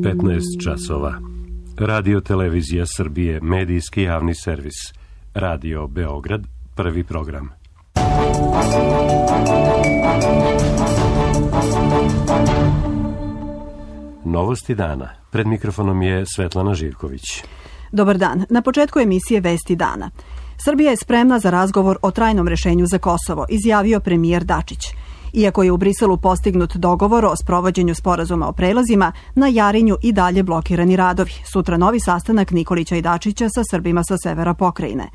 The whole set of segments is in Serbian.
15 časova. Radio Televizija Srbije, medijski javni servis. Radio Beograd, prvi program. Novosti dana. Pred mikrofonom je Svetlana Živković. Dobar dan. Na početku emisije Vesti dana. Srbija je spremna za razgovor o trajnom rešenju za Kosovo, izjavio premijer Dačić. Iako je u Briselu postignut dogovor o sprovođenju sporazuma o prelazima, na Jarinju i dalje blokirani radovi. Sutra novi sastanak Nikolića i Dačića sa Srbima sa severa pokrajine.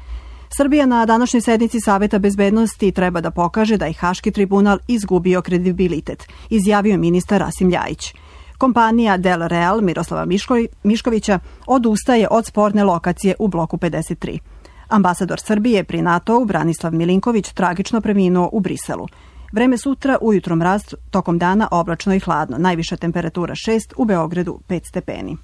Srbija na današnjoj sednici Saveta bezbednosti treba da pokaže da je Haški tribunal izgubio kredibilitet, izjavio ministar Rasim Ljajić. Kompanija Del Real Miroslava Miškovića odustaje od sporne lokacije u bloku 53. Ambasador Srbije pri NATO-u Branislav Milinković tragično preminuo u Briselu. Vreme sutra, ujutro mraz, tokom dana oblačno i hladno. Najviša temperatura 6, u Beogradu 5 stepeni.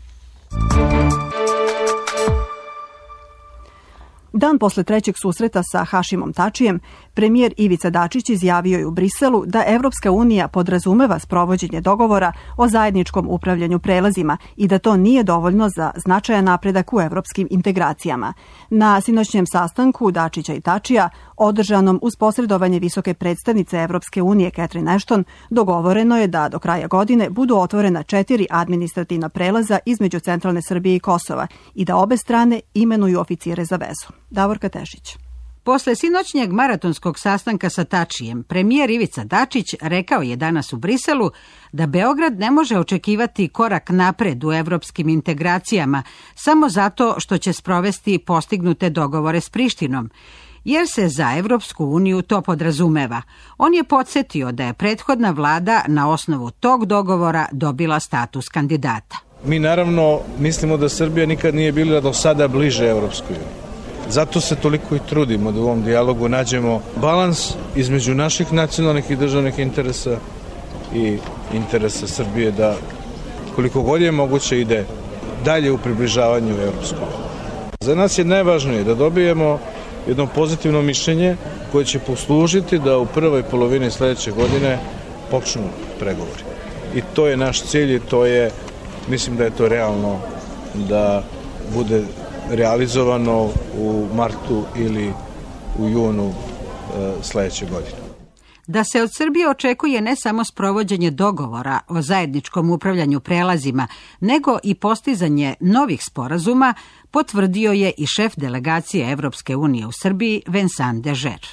Dan posle trećeg susreta sa Hašimom Tačijem, premijer Ivica Dačić izjavio je u Briselu da Evropska unija podrazumeva sprovođenje dogovora o zajedničkom upravljanju prelazima i da to nije dovoljno za značajan napredak u evropskim integracijama. Na sinoćnjem sastanku Dačića i Tačija, održanom uz posredovanje visoke predstavnice Evropske unije Catherine Ashton, dogovoreno je da do kraja godine budu otvorena 4 administrativna prelaza između centralne Srbije i Kosova i da obe strane imenuju oficire za vezu. Davorka Tešić. Posle sinoćnjeg maratonskog sastanka sa Tačijem, premijer Ivica Dačić rekao je danas u Briselu da Beograd ne može očekivati korak napred u evropskim integracijama samo zato što će sprovesti postignute dogovore s Prištinom, jer se za Evropsku uniju to podrazumeva. On je podsjetio da je prethodna vlada na osnovu tog dogovora dobila status kandidata. Mi naravno mislimo da Srbija nikad nije bila do sada bliže Evropskoj uniji. Zato se toliko i trudimo da u ovom dijalogu nađemo balans između naših nacionalnih i državnih interesa i interesa Srbije da koliko god je moguće ide dalje u približavanju Evropskoj uniji. Za nas je najvažnije da dobijemo jedno pozitivno mišljenje koje će poslužiti da u prvoj polovini sledeće godine počnu pregovori. I to je naš cilj i to je, mislim da je to realno da bude realizovano u martu ili u junu sledeće godine. Da se od Srbije očekuje ne samo sprovođenje dogovora o zajedničkom upravljanju prelazima, nego i postizanje novih sporazuma, potvrdio je i šef delegacije Evropske unije u Srbiji Vincent Deger.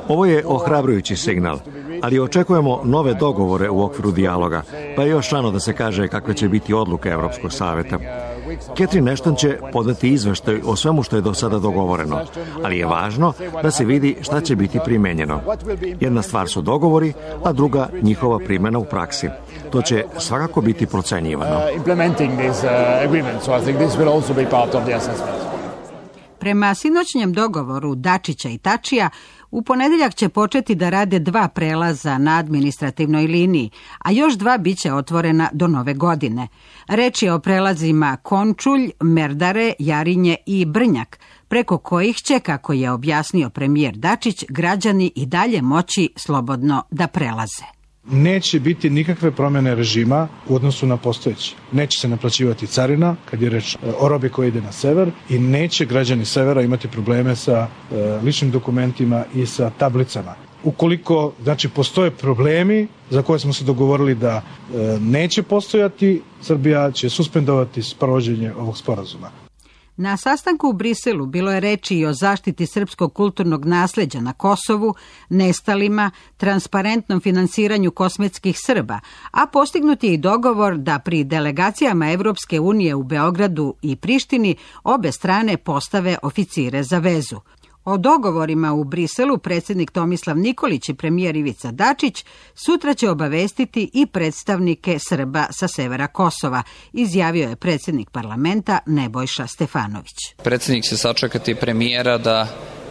Ovo je ohrabrujući signal, ali očekujemo nove dogovore u okviru dijaloga, pa je još rano da se kaže kakve će biti odluke Evropskog saveta. Catherine Ashton će podati izveštaj o svemu što je do sada dogovoreno, ali je važno da se vidi šta će biti primenjeno. Jedna stvar su dogovori, a druga njihova primjena u praksi. To će svakako biti procenjivano. Prema sinoćnjem dogovoru Dačića i Tačija, u ponedeljak će početi da rade 2 prelaza na administrativnoj liniji, a još 2 biće otvorena do nove godine. Reč je o prelazima Končulj, Merdare, Jarinje i Brnjak, preko kojih će, kako je objasnio premijer Dačić, građani i dalje moći slobodno da prelaze. Neće biti nikakve promjene režima u odnosu na postojeći. Neće se naplaćivati carina kad je reč o robi koja ide na sever i neće građani severa imati probleme sa ličnim dokumentima i sa tablicama. Ukoliko postoje problemi za koje smo se dogovorili da neće postojati, Srbija će suspendovati sprovođenje ovog sporazuma. Na sastanku u Briselu bilo je reči i o zaštiti srpskog kulturnog nasleđa na Kosovu, nestalima, transparentnom finansiranju kosmetskih Srba, a postignut je i dogovor da pri delegacijama Evropske unije u Beogradu i Prištini obe strane postave oficire za vezu. O dogovorima u Briselu predsjednik Tomislav Nikolić i premijer Ivica Dačić sutra će obavestiti i predstavnike Srba sa severa Kosova, izjavio je predsjednik parlamenta Nebojša Stefanović. Predsjednik će sačekati premijera da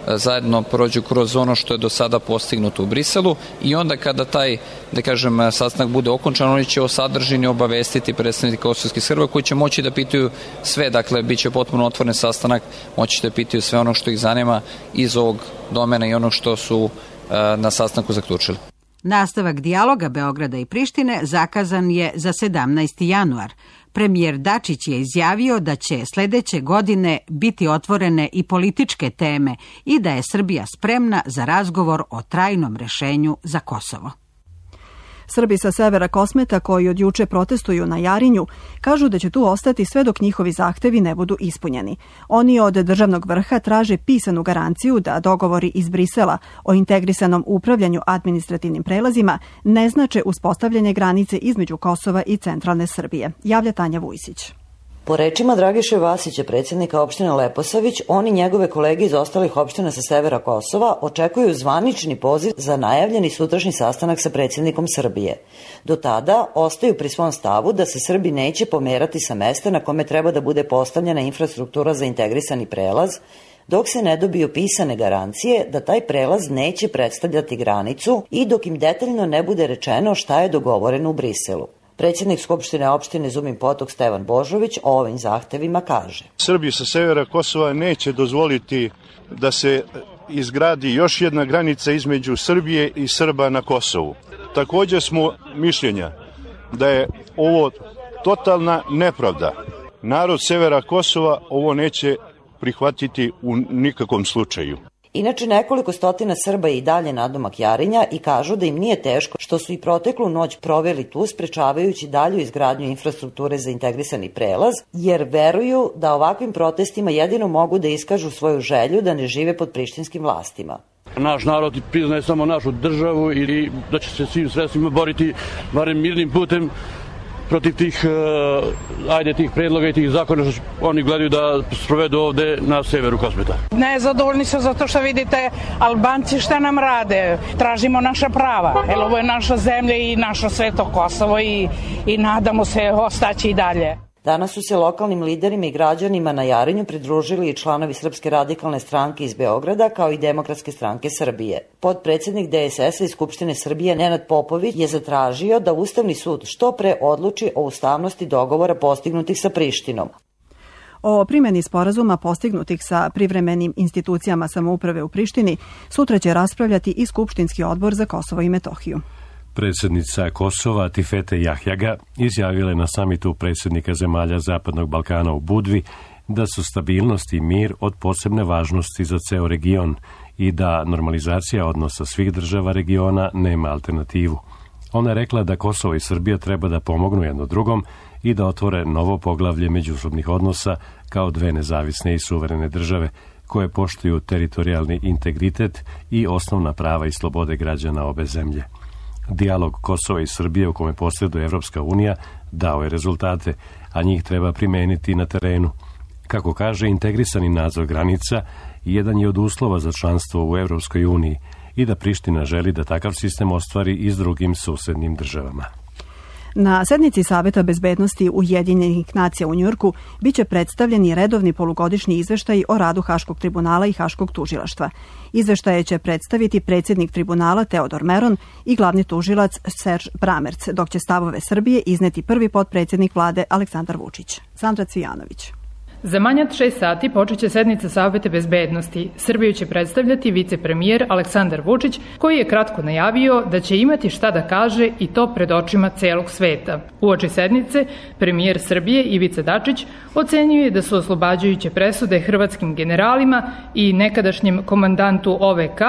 zajedno prođu kroz ono što je do sada postignuto u Briselu i onda kada taj, da kažem, sastanak bude okončan, oni će o sadržini obavestiti predstavnike kosovskih Srba koji će moći da pitaju sve, dakle, bit će potpuno otvoren sastanak, moći da pitaju sve ono što ih zanima iz ovog domena i ono što su na sastanku zaključili. Nastavak dijaloga Beograda i Prištine zakazan je za 17. januar. Premijer Dačić je izjavio da će sledeće godine biti otvorene i političke teme i da je Srbija spremna za razgovor o trajnom rešenju za Kosovo. Srbi sa severa Kosmeta koji od juče protestuju na Jarinju kažu da će tu ostati sve dok njihovi zahtevi ne budu ispunjeni. Oni od državnog vrha traže pisanu garanciju da dogovori iz Brisela o integrisanom upravljanju administrativnim prelazima ne znače uspostavljanje granice između Kosova i centralne Srbije. Javlja Tanja Vujsić. Po rečima Dragiše Vasića, predsjednika opštine Leposavić, on i njegove kolege iz ostalih opština sa severa Kosova očekuju zvanični poziv za najavljeni sutrašnji sastanak sa predsjednikom Srbije. Do tada ostaju pri svom stavu da se Srbi neće pomerati sa mesta na kome treba da bude postavljena infrastruktura za integrisani prelaz, dok se ne dobiju pisane garancije da taj prelaz neće predstavljati granicu i dok im detaljno ne bude rečeno šta je dogovoreno u Briselu. Predsjednik Skupštine opštine Zumin Potok Stevan Božović o ovim zahtevima kaže: Srbi sa severa Kosova neće dozvoliti da se izgradi još jedna granica između Srbije i Srba na Kosovu. Također smo mišljenja da je ovo totalna nepravda. Narod severa Kosova ovo neće prihvatiti u nikakvom slučaju. Inače, nekoliko stotina Srba je i dalje nadomak Jarinja i kažu da im nije teško što su i proteklu noć proveli tu sprečavajući dalju izgradnju infrastrukture za integrisani prelaz, jer veruju da ovakvim protestima jedino mogu da iskažu svoju želju da ne žive pod prištinskim vlastima. Naš narod priznaje samo našu državu i da će se svim sredstvima boriti barem mirnim putem protiv tih predloga i tih zakona što oni gledaju da sprovedu ovde na severu Kosmeta. Nezadovoljni su zato što vidite Albanci šta nam rade, tražimo naša prava, jer ovo je naša zemlja i naše sveto Kosovo i nadamo se ostaći i dalje. Danas su se lokalnim liderima i građanima na Jarinju pridružili i članovi Srpske radikalne stranke iz Beograda kao i Demokratske stranke Srbije. Potpredsednik DSS-a iz Skupštine Srbije Nenad Popović je zatražio da Ustavni sud što pre odluči o ustavnosti dogovora postignutih sa Prištinom. O primjeni sporazuma postignutih sa privremenim institucijama samouprave u Prištini sutra će raspravljati i Skupštinski odbor za Kosovo i Metohiju. Predsjednica Kosova Tifete Jahjaga izjavila je na samitu predsjednika zemalja Zapadnog Balkana u Budvi da su stabilnost i mir od posebne važnosti za ceo region i da normalizacija odnosa svih država regiona nema alternativu. Ona je rekla da Kosovo i Srbija treba da pomognu jedno drugom i da otvore novo poglavlje međusobnih odnosa kao dve nezavisne i suverene države koje poštuju teritorijalni integritet i osnovna prava i slobode građana obe zemlje. Dijalog Kosova i Srbije u kome posreduje Evropska unija dao je rezultate, a njih treba primeniti na terenu. Kako kaže, integrisani nadzor granica jedan je od uslova za članstvo u Evropskoj uniji i da Priština želi da takav sistem ostvari i s drugim susednim državama. Na sednici Saveta bezbednosti Ujedinjenih nacija u Njujorku biće predstavljeni redovni polugodišnji izveštaj o radu Haškog tribunala i Haškog tužilaštva. Izveštaje će predstaviti predsjednik tribunala Teodor Meron i glavni tužilac Serž Bramerc, dok će stavove Srbije izneti prvi potpredsjednik vlade Aleksandar Vučić. Sandra Cvijanović. Za manje od 6 sati počeće sednica Saveta bezbednosti. Srbiju će predstavljati vicepremijer Aleksandar Vučić, koji je kratko najavio da će imati šta da kaže i to pred očima celog sveta. Uoči sednice, premijer Srbije Ivica Dačić ocenjuje da su oslobađajuće presude hrvatskim generalima i nekadašnjem komandantu OVK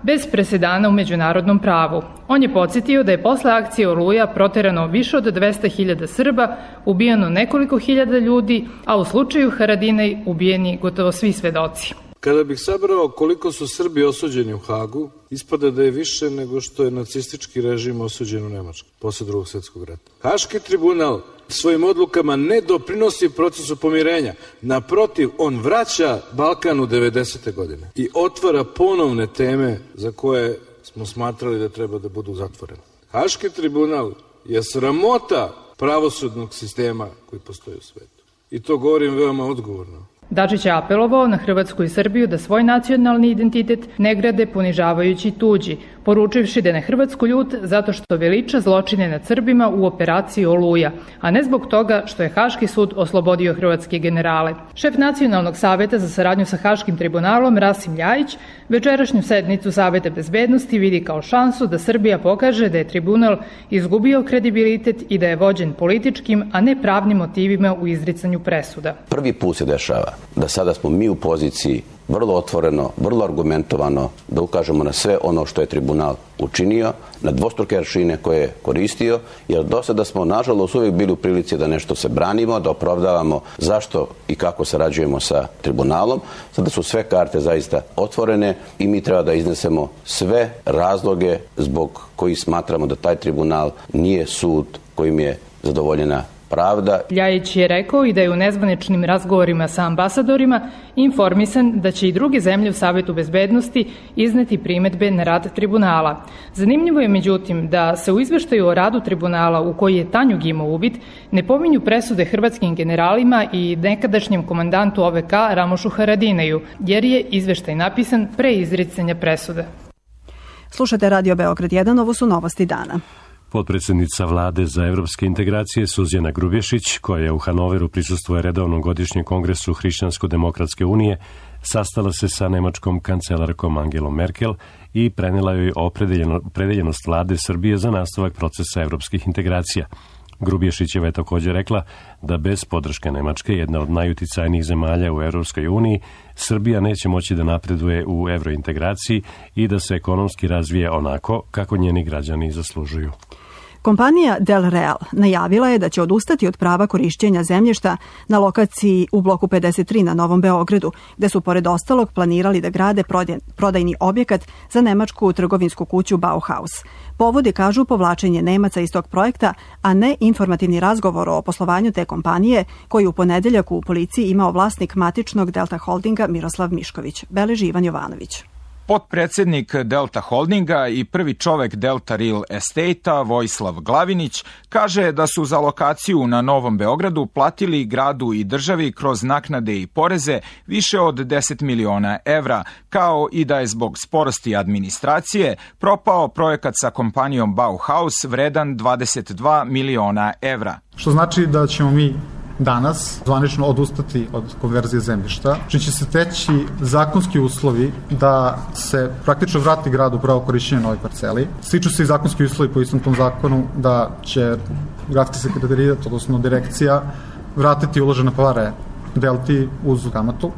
bez presedana u međunarodnom pravu. On je podsjetio da je posle akcije Oluja proterano više od 200.000 Srba, ubijeno nekoliko hiljada ljudi, a u slučaju Haradinaj ubijeni gotovo svi svedoci. Kada bih sabrao koliko su Srbi osuđeni u Hagu, ispada da je više nego što je nacistički režim osuđen u Nemačkoj posle Drugog svjetskog rata. Haški tribunal svojim odlukama ne doprinosi procesu pomirenja. Naprotiv, on vraća Balkan u 90. godine i otvara ponovne teme za koje smo smatrali da treba da budu zatvorene. Haški tribunal je sramota pravosudnog sistema koji postoji u svetu. I to govorim veoma odgovorno. Dačić je apelovao na Hrvatsku i Srbiju da svoj nacionalni identitet ne grade ponižavajući tuđi, poručivši da je na Hrvatsku ljut zato što veliča zločine nad Srbima u operaciji Oluja, a ne zbog toga što je Haški sud oslobodio hrvatske generale. Šef Nacionalnog saveta za saradnju sa Haškim tribunalom Rasim Ljajić večerašnju sednicu Saveta bezbednosti vidi kao šansu da Srbija pokaže da je tribunal izgubio kredibilitet i da je vođen političkim, a ne pravnim motivima u izricanju presuda. Prvi put se dešava da sada smo mi u poziciji vrlo otvoreno, vrlo argumentovano da ukažemo na sve ono što je tribunal učinio, na dvostruke aršine koje je koristio, jer do sada smo nažalost uvijek bili u prilici da nešto se branimo, da opravdavamo zašto i kako sarađujemo sa tribunalom. Sada su sve karte zaista otvorene i mi treba da iznesemo sve razloge zbog kojih smatramo da taj tribunal nije sud kojim je zadovoljena pravda. Ljajić je rekao i da je u nezvaničnim razgovorima sa ambasadorima informisan da će i druge zemlje u Savetu bezbednosti izneti primedbe na rad tribunala. Zanimljivo je međutim da se u izveštaju o radu tribunala u koji je Tanjug imao uvid ne pominju presude hrvatskim generalima i nekadašnjem komandantu OVK Ramošu Haradinaju, jer je izveštaj napisan pre izricanja presude. Slušate Radio Beograd 1, ovo su novosti dana. Potpredsjednica vlade za evropske integracije Suzana Grubješić, koja u Hanoveru prisustvuje redovnom godišnjem kongresu Hrišćansko-demokratske unije, sastala se sa nemačkom kancelarkom Angelom Merkel i prenela joj opredeljenost vlade Srbije za nastavak procesa evropskih integracija. Grubješićeva je također rekla da bez podrške Nemačke, jedna od najuticajnijih zemalja u Europskoj uniji, Srbija neće moći da napreduje u evrointegraciji i da se ekonomski razvije onako kako njeni građani zaslužuju. Kompanija Del Real najavila je da će odustati od prava korišćenja zemljišta na lokaciji u bloku 53 na Novom Beogradu, gde su pored ostalog planirali da grade prodajni objekat za nemačku trgovinsku kuću Bauhaus. Povodi, kažu, povlačenje Nemaca iz tog projekta, a ne informativni razgovor o poslovanju te kompanije, koji u ponedeljak u policiji imao vlasnik matičnog Delta Holdinga Miroslav Mišković. Beleži Ivan Jovanović. Potpredsjednik Delta Holdinga i prvi čovek Delta Real Estate-a, Vojislav Glavinić, kaže da su za lokaciju na Novom Beogradu platili gradu i državi kroz naknade i poreze više od 10 miliona evra, kao i da je zbog sporosti administracije propao projekat sa kompanijom Bauhaus vredan 22 miliona evra. Što znači da ćemo mi danas zvanično odustati od konverzije zemljišta, čim će se teći zakonski uslovi da se praktično vrati grad u pravo korišćenje na ovoj parceli. Stiču se i zakonski uslovi po istom tom zakonu da će gradski sekretarijat, odnosno direkcija, vratiti uložene pare Delti uz kamatu.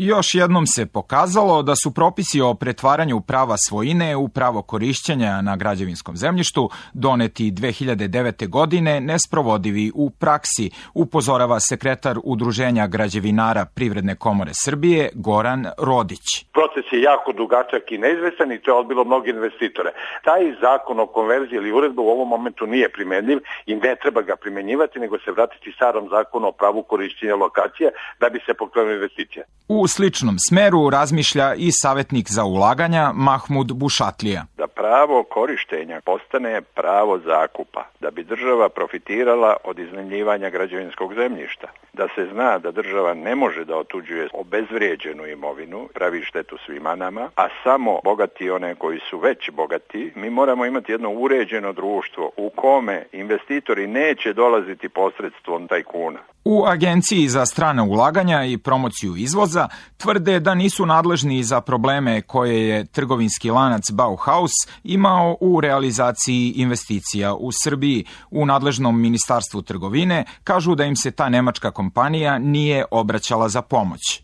Još jednom se pokazalo da su propisi o pretvaranju prava svojine u pravo korišćenja na građevinskom zemljištu doneti 2009. godine nesprovodivi u praksi, upozorava sekretar Udruženja građevinara Privredne komore Srbije Goran Rodić. Proces je jako dugačak i neizvestan i to je odbilo mnogi investitore. Taj zakon o konverziji ili uredba u ovom momentu nije primenljiv i ne treba ga primenjivati, nego se vratiti starom zakonu o pravu korišćenja lokacije da bi se pokrenula investicija. U sličnom smeru razmišlja i savjetnik za ulaganja Mahmud Bušatlija. Da pravo korištenja postane pravo zakupa, da bi država profitirala od iznajmljivanja građevinskog zemljišta, da se zna da država ne može da otuđuje obezvrijeđenu imovinu, pravi štetu svima nama, a samo bogati one koji su već bogati. Mi moramo imati jedno uređeno društvo u kome investitori neće dolaziti posredstvom tajkuna. U Agenciji za strana ulaganja i promociju izvoza tvrde da nisu nadležni za probleme koje je trgovinski lanac Bauhaus imao u realizaciji investicija u Srbiji. U nadležnom ministarstvu trgovine kažu da im se ta nemačka kompanija nije obraćala za pomoć.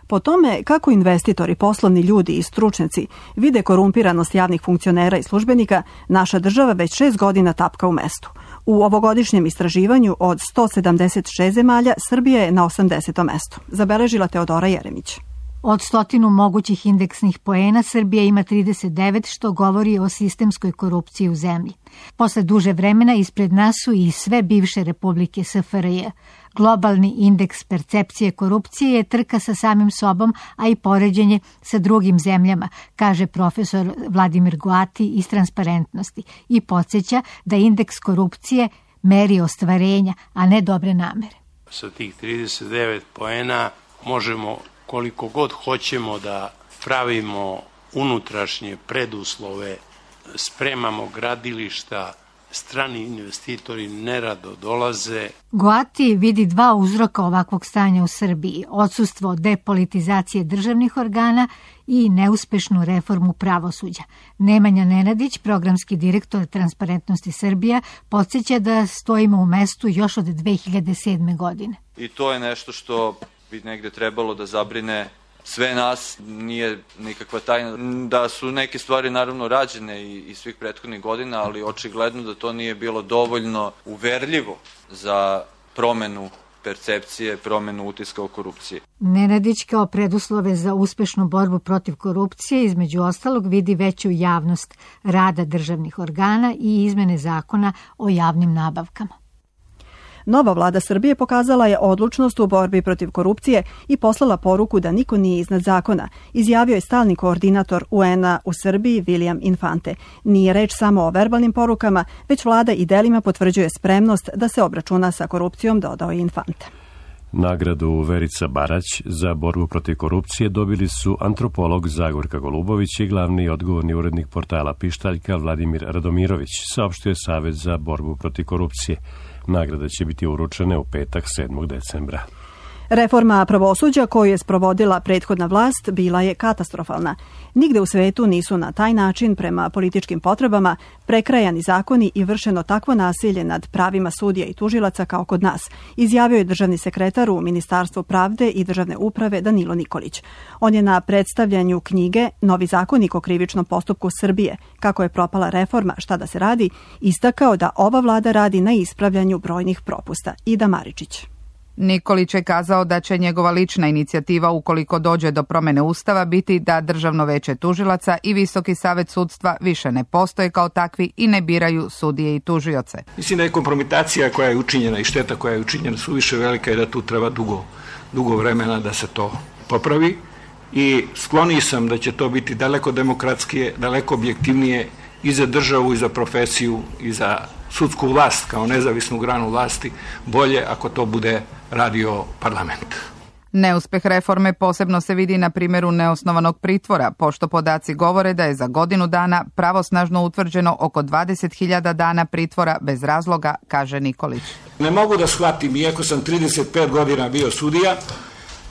Po tome kako investitori, poslovni ljudi i stručnjaci vide korumpiranost javnih funkcionera i službenika, naša država već 6 godina tapka u mestu. U ovogodišnjem istraživanju od 176 zemalja Srbija je na 80. mestu, zabeležila Teodora Jeremić. Od 100 mogućih indeksnih poena Srbija ima 39, što govori o sistemskoj korupciji u zemlji. Posle duže vremena ispred nas su i sve bivše republike SFRJ. Globalni indeks percepcije korupcije je trka sa samim sobom, a i poređenje sa drugim zemljama, kaže profesor Vladimir Goati iz Transparentnosti i podsjeća da indeks korupcije meri ostvarenja, a ne dobre namere. Sa tih 39 poena možemo koliko god hoćemo da pravimo unutrašnje preduslove, spremamo gradilišta, strani investitori nerado dolaze. Goati vidi dva uzroka ovakvog stanja u Srbiji: odsustvo depolitizacije državnih organa i neuspešnu reformu pravosuđa. Nemanja Nenadić, programski direktor Transparentnosti Srbija, podsjeća da stojimo u mestu još od 2007. godine. I to je nešto što bi negde trebalo da zabrine sve nas. Nije nikakva tajna da su neke stvari naravno rađene i svih prethodnih godina, ali očigledno da to nije bilo dovoljno uverljivo za promenu percepcije, promenu utiska o korupciji. Nenadić kao preduslove za uspešnu borbu protiv korupcije između ostalog vidi veću javnost rada državnih organa i izmene zakona o javnim nabavkama. Nova vlada Srbije pokazala je odlučnost u borbi protiv korupcije i poslala poruku da niko nije iznad zakona, izjavio je stalni koordinator UN-a u Srbiji William Infante. Nije reč samo o verbalnim porukama, već vlada i delima potvrđuje spremnost da se obračuna sa korupcijom, dodao je Infante. Nagradu Verica Barać za borbu protiv korupcije dobili su antropolog Zagorka Golubović i glavni i odgovorni urednik portala Pištaljka Vladimir Radomirović, saopštio je Savet za borbu protiv korupcije. Nagrada će biti uručene u petak 7. decembra. Reforma pravosuđa koju je sprovodila prethodna vlast bila je katastrofalna. Nigde u svetu nisu na taj način prema političkim potrebama prekrajani zakoni i vršeno takvo nasilje nad pravima sudija i tužilaca kao kod nas, izjavio je državni sekretar u Ministarstvu pravde i državne uprave Danilo Nikolić. On je na predstavljanju knjige Novi zakonik o krivičnom postupku Srbije, kako je propala reforma, šta da se radi, istakao da ova vlada radi na ispravljanju brojnih propusta. Ida Maričić. Nikolić je kazao da će njegova lična inicijativa, ukoliko dođe do promene Ustava, biti da Državno veće tužilaca i Visoki savet sudstva više ne postoje kao takvi i ne biraju sudije i tužioce. Mislim da je kompromitacija koja je učinjena i šteta koja je učinjena suviše velika i da tu treba dugo vremena da se to popravi. I skloniji sam da će to biti daleko demokratskije, daleko objektivnije i za državu i za profesiju i za sudsku vlast kao nezavisnu granu vlasti, bolje ako to bude radio parlament. Neuspeh reforme posebno se vidi na primjeru neosnovanog pritvora, pošto podaci govore da je za godinu dana pravosnažno utvrđeno oko 20.000 dana pritvora bez razloga, kaže Nikolić. Ne mogu da shvatim, iako sam 35 godina bio sudija,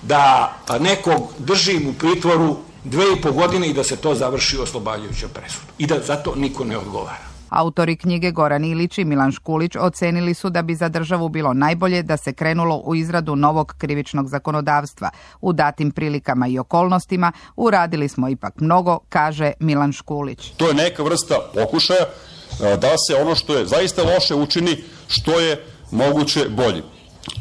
da nekog držim u pritvoru 2,5 godine i da se to završi oslobađajućom presudom i da zato niko ne odgovara. Autori knjige Goran Ilić i Milan Škulić ocenili su da bi za državu bilo najbolje da se krenulo u izradu novog krivičnog zakonodavstva. U datim prilikama i okolnostima uradili smo ipak mnogo, kaže Milan Škulić. To je neka vrsta pokušaja da se ono što je zaista loše učini što je moguće bolje.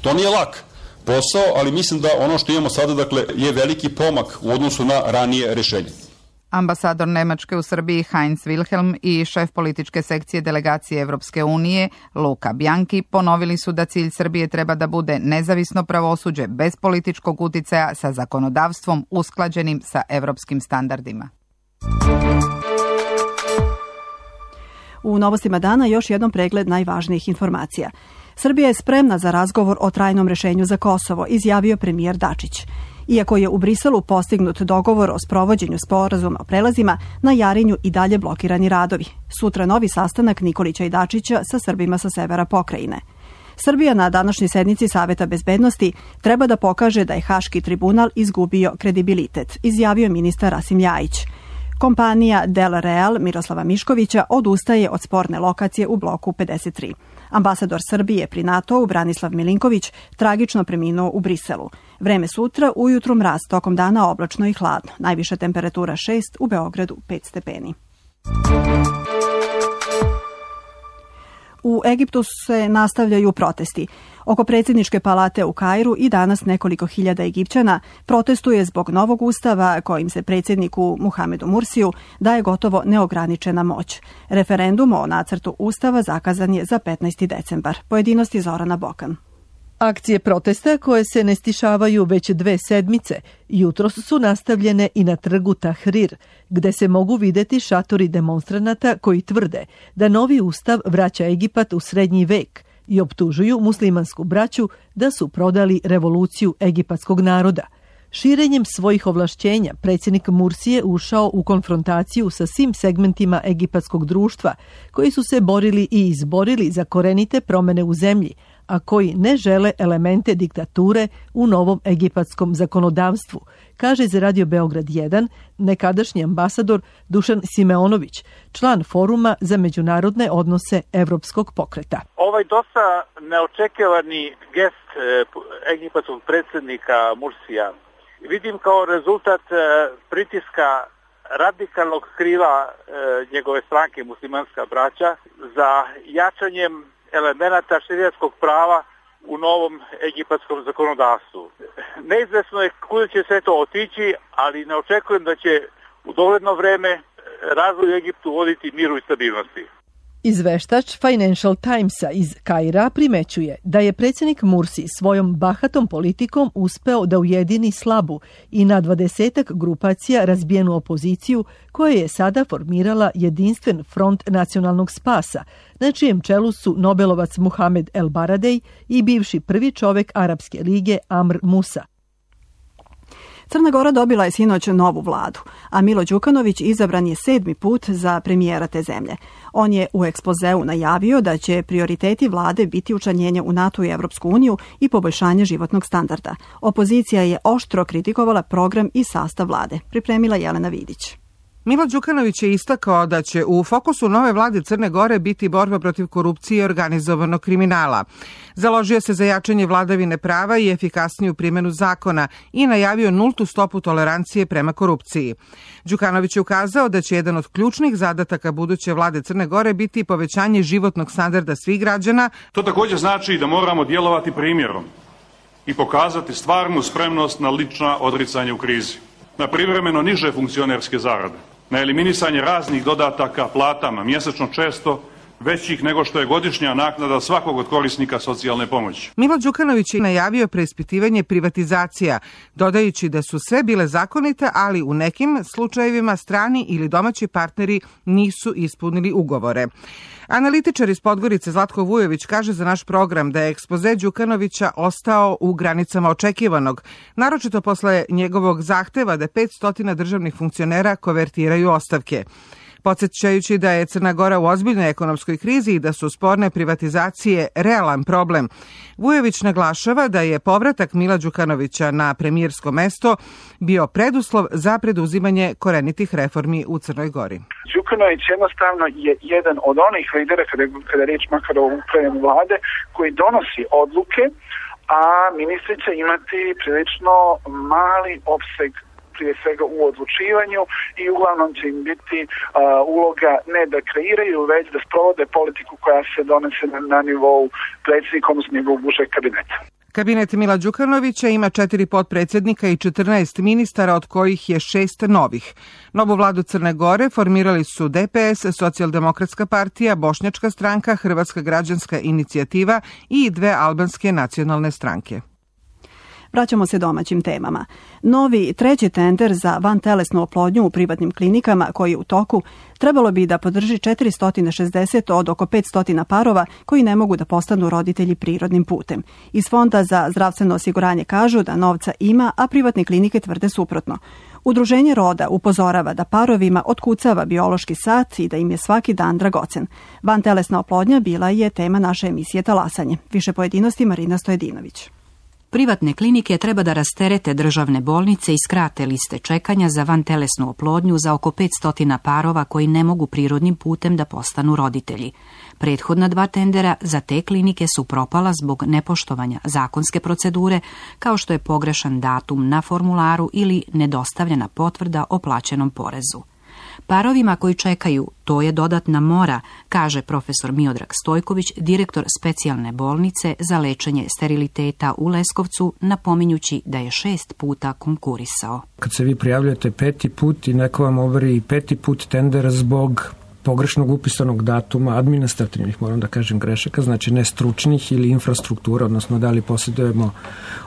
To nije lak posao, ali mislim da ono što imamo sada je veliki pomak u odnosu na ranije rešenje. Ambasador Nemačke u Srbiji Heinz Wilhelm i šef političke sekcije delegacije Evropske unije Luka Bianchi ponovili su da cilj Srbije treba da bude nezavisno pravosuđe bez političkog uticaja sa zakonodavstvom usklađenim sa evropskim standardima. U novostima dana još jednom pregled najvažnijih informacija. Srbija je spremna za razgovor o trajnom rešenju za Kosovo, izjavio premijer Dačić. Iako je u Briselu postignut dogovor o sprovođenju sporazuma o prelazima, na Jarinju i dalje blokirani radovi. Sutra novi sastanak Nikolića i Dačića sa Srbima sa severa pokrajine. Srbija na današnjoj sednici Saveta bezbednosti treba da pokaže da je Haški tribunal izgubio kredibilitet, izjavio ministar Rasim Ljajić. Kompanija Del Real Miroslava Miškovića odustaje od sporne lokacije u bloku 53. Ambasador Srbije pri NATO-u Branislav Milinković tragično preminuo u Briselu. Vreme sutra, ujutru mraz, tokom dana oblačno i hladno. Najviša temperatura 6, u Beogradu 5 stepeni. U Egiptu se nastavljaju protesti. Oko predsjedničke palate u Kairu i danas nekoliko hiljada Egipćana protestuje zbog novog ustava kojim se predsjedniku Muhamedu Mursiju daje gotovo neograničena moć. Referendum o nacrtu ustava zakazan je za 15. decembar. Pojedinosti Zorana Bokan. Akcije protesta koje se ne stišavaju već 2 sedmice, jutros su nastavljene i na trgu Tahrir, gde se mogu videti šatori demonstranata koji tvrde da novi ustav vraća Egipat u srednji vek i optužuju muslimansku braću da su prodali revoluciju egipatskog naroda. Širenjem svojih ovlašćenja, predsjednik Mursi je ušao u konfrontaciju sa svim segmentima egipatskog društva, koji su se borili i izborili za korenite promjene u zemlji, a koji ne žele elemente diktature u novom egipatskom zakonodavstvu, kaže za Radio Beograd 1 nekadašnji ambasador Dušan Simeonović, član Foruma za međunarodne odnose Evropskog pokreta. Ovaj dosta neočekivani gest egipatskog predsjednika Mursija vidim kao rezultat pritiska radikalnog krila njegove stranke Muslimanska braća za jačanjem elemenata šerijatskog prava u novom egipatskom zakonodavstvu. Neizvesno je kuda će sve to otići, ali ne očekujem da će u dogledno vreme razvoj u Egiptu voditi miru i stabilnosti. Izveštač Financial Timesa iz Kaira primećuje da je predsjednik Mursi svojom bahatom politikom uspeo da ujedini slabu i na 20-ak grupacija razbijenu opoziciju koja je sada formirala jedinstven front nacionalnog spasa, na čijem čelu su Nobelovac Muhamed El Baradej i bivši prvi čovek Arapske lige Amr Musa. Crna Gora dobila je sinoć novu vladu, a Milo Đukanović izabran je 7. put za premijera te zemlje. On je u ekspozeu najavio da će prioriteti vlade biti učlanjenje u NATO i Evropsku uniju i poboljšanje životnog standarda. Opozicija je oštro kritikovala program i sastav vlade. Pripremila Jelena Vidić. Milo Đukanović je istakao da će u fokusu nove vlade Crne Gore biti borba protiv korupcije i organizovanog kriminala. Založio se za jačanje vladavine prava i efikasniju primjenu zakona i najavio nultu stopu tolerancije prema korupciji. Đukanović je ukazao da će jedan od ključnih zadataka buduće vlade Crne Gore biti povećanje životnog standarda svih građana. To također znači da moramo djelovati primjerom i pokazati stvarnu spremnost na lična odricanja u krizi, na privremeno niže funkcionerske zarade, na eliminisanje raznih dodataka platama, mjesečno često većih nego što je godišnja naknada svakog od korisnika socijalne pomoći. Milo Đukanović je najavio preispitivanje privatizacija, dodajući da su sve bile zakonite, ali u nekim slučajevima strani ili domaći partneri nisu ispunili ugovore. Analitičar iz Podgorice Zlatko Vujović kaže za naš program da je ekspoze Đukanovića ostao u granicama očekivanog, naročito posle njegovog zahteva da 500 državnih funkcionera kovertiraju ostavke. Podsjećajući da je Crna Gora u ozbiljnoj ekonomskoj krizi i da su sporne privatizacije realan problem, Vujović naglašava da je povratak Mila Đukanovića na premijersko mesto bio preduslov za preduzimanje korenitih reformi u Crnoj Gori. Đukanović jednostavno je jedan od onih lidera, kada je riječ makar o upravljanju vlade, koji donosi odluke, a ministri će imati prilično mali opseg prije svega u odlučivanju i uglavnom će im biti uloga ne da kreiraju, već da sprovode politiku koja se donese na nivou predsjednika, odnosno njegovog užeg kabineta. Kabinet Mila Đukanovića ima 4 potpredsjednika i 14 ministara, od kojih je 6 novih. Novu vladu Crne Gore formirali su DPS, Socijaldemokratska partija, Bošnjačka stranka, Hrvatska građanska inicijativa i 2 albanske nacionalne stranke. Vraćamo se domaćim temama. Novi treći tender za vantelesnu oplodnju u privatnim klinikama koji je u toku trebalo bi da podrži 460 od oko 500 parova koji ne mogu da postanu roditelji prirodnim putem. Iz Fonda za zdravstveno osiguranje kažu da novca ima, a privatne klinike tvrde suprotno. Udruženje Roda upozorava da parovima otkucava biološki sat i da im je svaki dan dragocen. Vantelesna oplodnja bila je tema naše emisije Talasanje. Više pojedinosti Marina Stojedinović. Privatne klinike treba da rasterete državne bolnice i skrate liste čekanja za vantelesnu oplodnju za oko 500 parova koji ne mogu prirodnim putem da postanu roditelji. Prethodna 2 tendera za te klinike su propala zbog nepoštovanja zakonske procedure, kao što je pogrešan datum na formularu ili nedostavljena potvrda o plaćenom porezu. Parovima koji čekaju, to je dodatna mora, kaže profesor Miodrag Stojković, direktor specijalne bolnice za lečenje steriliteta u Leskovcu, napominjući da je 6 puta konkurisao. Kad se vi prijavljate 5. put i neko vam overi 5. put tender zbog pogrešnog upisanog datuma, administrativnih, moram da kažem, grešaka, znači ne stručnih ili infrastruktura, odnosno da li posjedujemo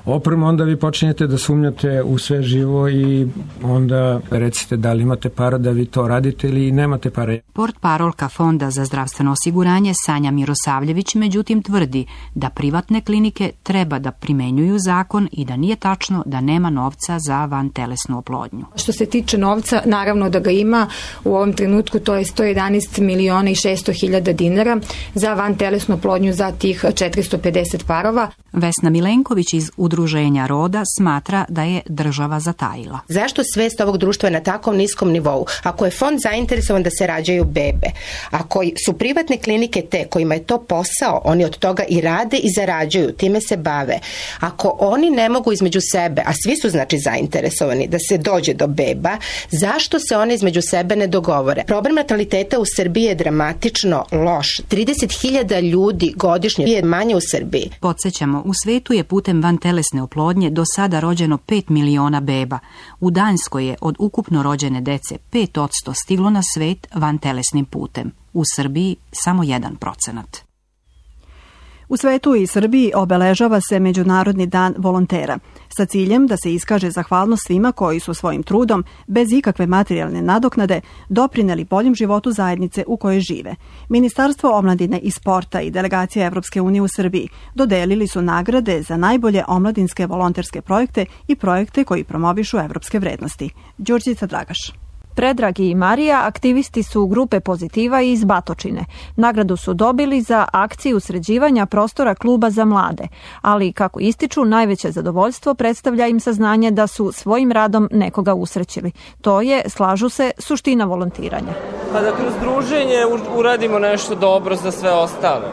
opremu, onda vi počinjete da sumnjate u sve živo i onda recite da li imate para da vi to radite ili nemate pare. Portparolka Fonda za zdravstveno osiguranje Sanja Mirosavljević međutim tvrdi da privatne klinike treba da primenjuju zakon i da nije tačno da nema novca za vantelesnu oplodnju. Što se tiče novca, naravno da ga ima. U ovom trenutku to je 111 miliona i 600 hiljada dinara za vantelesnu oplodnju za tih 450 parova. Vesna Milenković iz Udruženja Roda smatra da je država zatajila. Zašto svest ovog društva je na takvom niskom nivou? Ako je fond zainteresovan da se rađaju bebe, ako su privatne klinike te kojima je to posao, oni od toga i rade i zarađuju, time se bave. Ako oni ne mogu između sebe, a svi su znači zainteresovani da se dođe do beba, zašto se one između sebe ne dogovore? Problem nataliteta u Srbiji je dramatično loš. 30.000 ljudi godišnje je manje u Srbiji. Podsjećamo, u svetu je putem vantelesne oplodnje do sada rođeno 5 miliona beba. U Danskoj je od ukupno rođene dece 5% stiglo na svet vantelesnim putem. U Srbiji samo 1%. U svetu i Srbiji obeležava se Međunarodni dan volontera, sa ciljem da se iskaže zahvalnost svima koji su svojim trudom, bez ikakve materijalne nadoknade, doprineli boljem životu zajednice u kojoj žive. Ministarstvo omladine i sporta i delegacija Evropske unije u Srbiji dodelili su nagrade za najbolje omladinske volonterske projekte i projekte koji promovišu evropske vrednosti. Đurđica Dragaš. Predrag i Marija aktivisti su grupe Pozitiva iz Batočine. Nagradu su dobili za akciju sređivanja prostora kluba za mlade, ali kako ističu, najveće zadovoljstvo predstavlja im saznanje da su svojim radom nekoga usrećili. To je, slažu se, suština volontiranja. Pa da kroz druženje uradimo nešto dobro za sve ostale.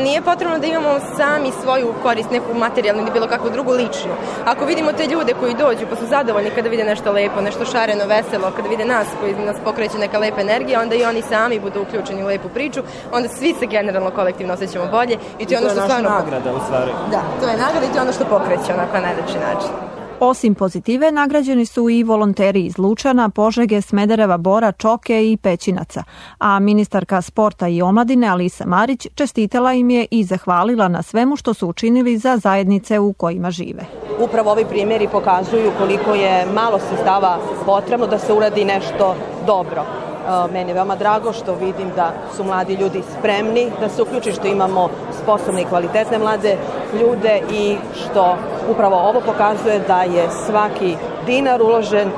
Nije potrebno da imamo sami svoju korist, neku materijalnu ili bilo kakvu drugu ličnu. Ako vidimo te ljude koji dođu pa su zadovoljni kada vide nešto lepo, nešto šareno, veselo, kada vide nas koji nas pokreće neka lepa energija, onda i oni sami budu uključeni u lepu priču, onda svi se generalno kolektivno osjećamo bolje. I to je ono što stvarno... nagrada u stvari. Da, to je nagrada i to je ono što pokreće onako na najlepši način. Osim Pozitive, nagrađeni su i volonteri iz Lučana, Požege, Smedereva, Bora, Čoke i Pećinaca. A ministarka sporta i omladine Alisa Marić čestitala im je i zahvalila na svemu što su učinili za zajednice u kojima žive. Upravo ovi primjeri pokazuju koliko je malo sredstava potrebno da se uradi nešto dobro. Meni je veoma drago što vidim da su mladi ljudi spremni da se uključi, što imamo sposobne i kvalitetne mlade ljude i što upravo ovo pokazuje da je svaki dinar uložen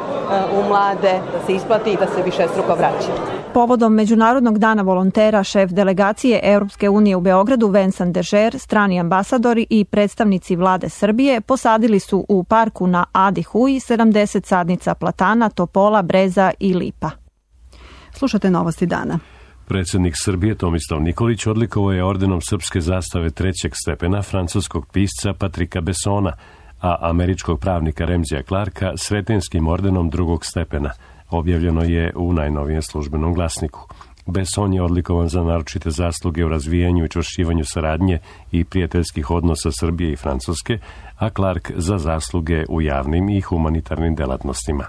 u mlade, da se isplati i da se višestruko vraća. Povodom Međunarodnog dana volontera, šef delegacije Europske unije u Beogradu Vincent Dežer, strani ambasadori i predstavnici vlade Srbije posadili su u parku na Adi Huji 70 sadnica platana, topola, breza i lipa. Slušate novosti dana. Predsjednik Srbije Tomislav Nikolić odlikovao je ordenom srpske zastave 3. stepena francuskog pisca Patrika Bessona, a američkog pravnika Remzija Clarka sretenskim ordenom 2. stepena. Objavljeno je u najnovijem službenom glasniku. Besson je odlikovan za naročite zasluge u razvijanju i čvršćivanju saradnje i prijateljskih odnosa Srbije i Francuske, a Clark za zasluge u javnim i humanitarnim delatnostima.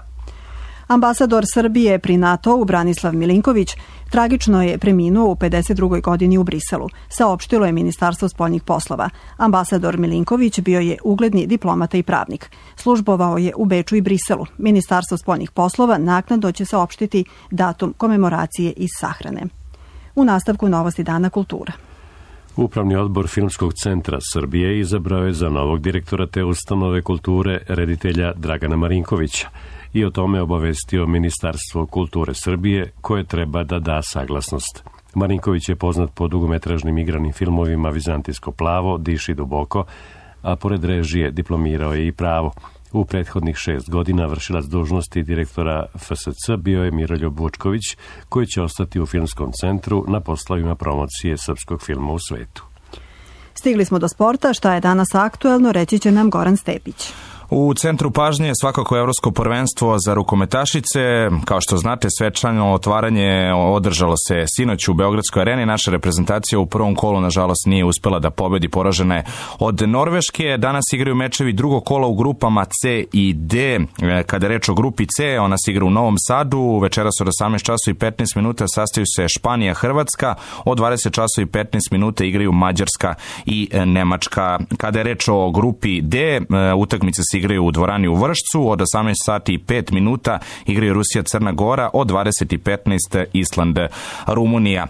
Ambasador Srbije pri NATO-u Branislav Milinković tragično je preminuo u 52. godini u Briselu, saopštilo je Ministarstvo spoljnih poslova. Ambasador Milinković bio je ugledni diplomata i pravnik. Službovao je u Beču i Briselu. Ministarstvo spoljnih poslova naknadno će saopštiti datum komemoracije iz sahrane. U nastavku novosti dana kultura. Upravni odbor Filmskog centra Srbije izabrao je za novog direktora te ustanove kulture reditelja Dragana Marinkovića i o tome obavestio Ministarstvo kulture Srbije, koje treba da da saglasnost. Marinković je poznat po dugometražnim igranim filmovima Vizantijsko plavo, Diši duboko, a pored režije diplomirao je i pravo. U prethodnih 6 godina vršilac dužnosti direktora FSC bio je Miroljub Vučković, koji će ostati u Filmskom centru na poslovima promocije srpskog filma u svetu. Stigli smo do sporta, šta je danas aktuelno, reći će nam Goran Stepić. U centru pažnje je svakako Evropsko prvenstvo za rukometašice. Kao što znate, svečano otvaranje održalo se sinoć u Beogradskoj areni. Naša reprezentacija u prvom kolu, nažalost, nije uspela da pobedi, poražena je od Norveške. Danas igraju mečevi drugog kola u grupama C i D. Kada je reč o grupi C, ona se igra u Novom Sadu. Večeras od 18 časova i 15 minuta sastaju se Španija, Hrvatska. Od 20 časova i 15 minuta igraju Mađarska i Nemačka. Kada je reč o grupi D, utakmice se igraju u dvorani u Vršcu. Od 18 sati i 5 minuta igraju Rusija, Crna Gora. Od 20:15 Island, Rumunija.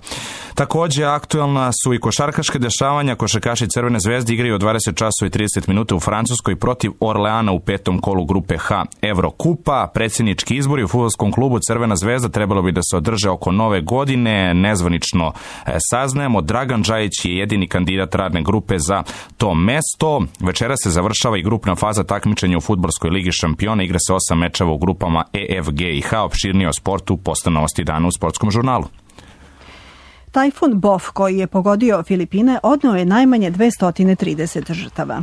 Takođe, aktualna su i košarkaške dešavanja. Košarkaši Crvene zvezde igraju od 20 časova i 30 minuta u Francuskoj protiv Orleana u petom kolu grupe H Evrokupa. Predsjednički izbori u fudbalskom klubu Crvena zvezda trebalo bi da se održe oko nove godine. Nezvanično saznajemo, Dragan Džajić je jedini kandidat radne grupe za to mesto. Večera se završava i grupna faza takmičenja u fudbalskoj ligi šampiona. Igra se 8 mečeva u grupama E, F, G i H. Opširnije o sportu posle novosti dana u Sportskom žurnalu. Tajfun Bof, koji je pogodio Filipine, odneo je najmanje 230 žrtava.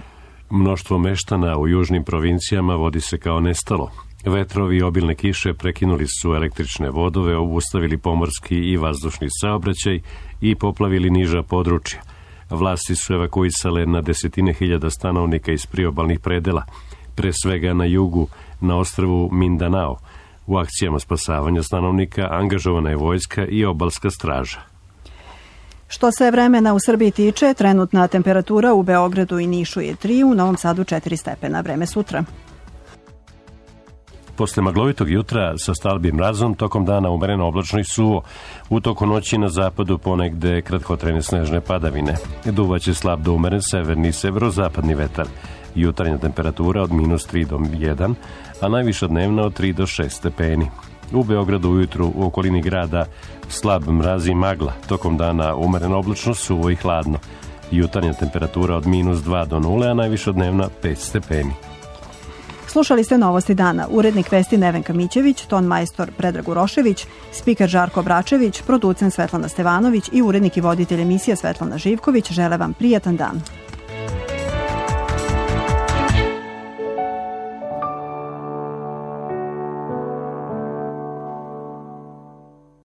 Mnoštvo meštana u južnim provincijama vodi se kao nestalo. Vetrovi i obilne kiše prekinuli su električne vodove, obustavili pomorski i vazdušni saobraćaj i poplavili niža područja. Vlasti su evakuisale na desetine hiljada stanovnika iz priobalnih predela, pre svega na jugu, na ostrvu Mindanao. U akcijama spasavanja stanovnika angažovana je vojska i obalska straža. Što se vremena u Srbiji tiče, trenutna temperatura u Beogradu i Nišu je 3, u Novom Sadu 4 stepena. Vreme sutra. Posle maglovitog jutra sa stalbim mrazom, tokom dana umereno oblačno i suvo. U toku noći na zapadu ponegde kratkotrajne snežne padavine. Duvaće slab do umeren severni i severozapadni vetar. Jutarnja temperatura od -3 do 1, a najviša dnevna od 3 do 6 stepeni. U Beogradu ujutru u okolini grada slab mraz i magla. Tokom dana umereno oblačno, suvo i hladno. Jutarnja temperatura od -2 do 0, a najviša dnevna 5 stepeni. Slušali ste Novosti dana. Urednik vesti Nevenka Mićević, ton majstor Predrag Urošević, spiker Žarko Bračević, producent Svetlana Stevanović i urednik i voditelj emisije Svetlana Živković žele vam prijatan dan.